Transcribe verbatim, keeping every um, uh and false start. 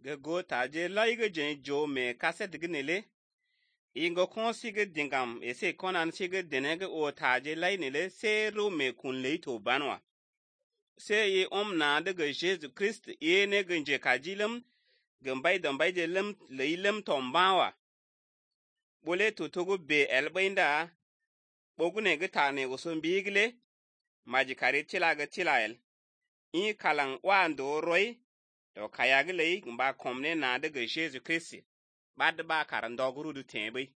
Ge go ta je lai ge jen jo me kaset gnele. Ingo kon sige dingam ese konan sige denege o ta je lai nele se ro me kun le to banwa. Se ye om na de ge Jesus Christ ye ne genje kajilem gambay dambay je lem le lem tombawa. Bole to togo be elbainda bogune ge ta ne usun bigle maji kare tila ge tilael. In kalang wando roy to kayag le mba komne na de ge Jesus Christ bad ba karan doguru du tembe